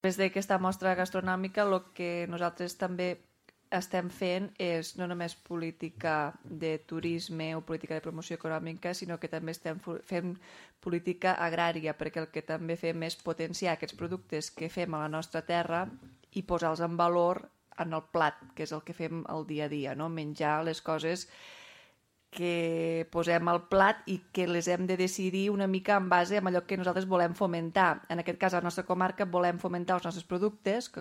Des d'aquesta mostra gastronòmica el que nosaltres també estem fent és no només política de turisme o política de promoció econòmica, sinó que també estem fent política agrària, perquè el que també fem és potenciar aquests productes que fem a la nostra terra i posar-los en valor en el plat, que és el que fem el dia a dia, no? Menjar les coses que posem al plat i que les hem de decidir una mica en base a allò que nosaltres volem fomentar. En aquest cas, a la nostra comarca volem fomentar els nostres productes, que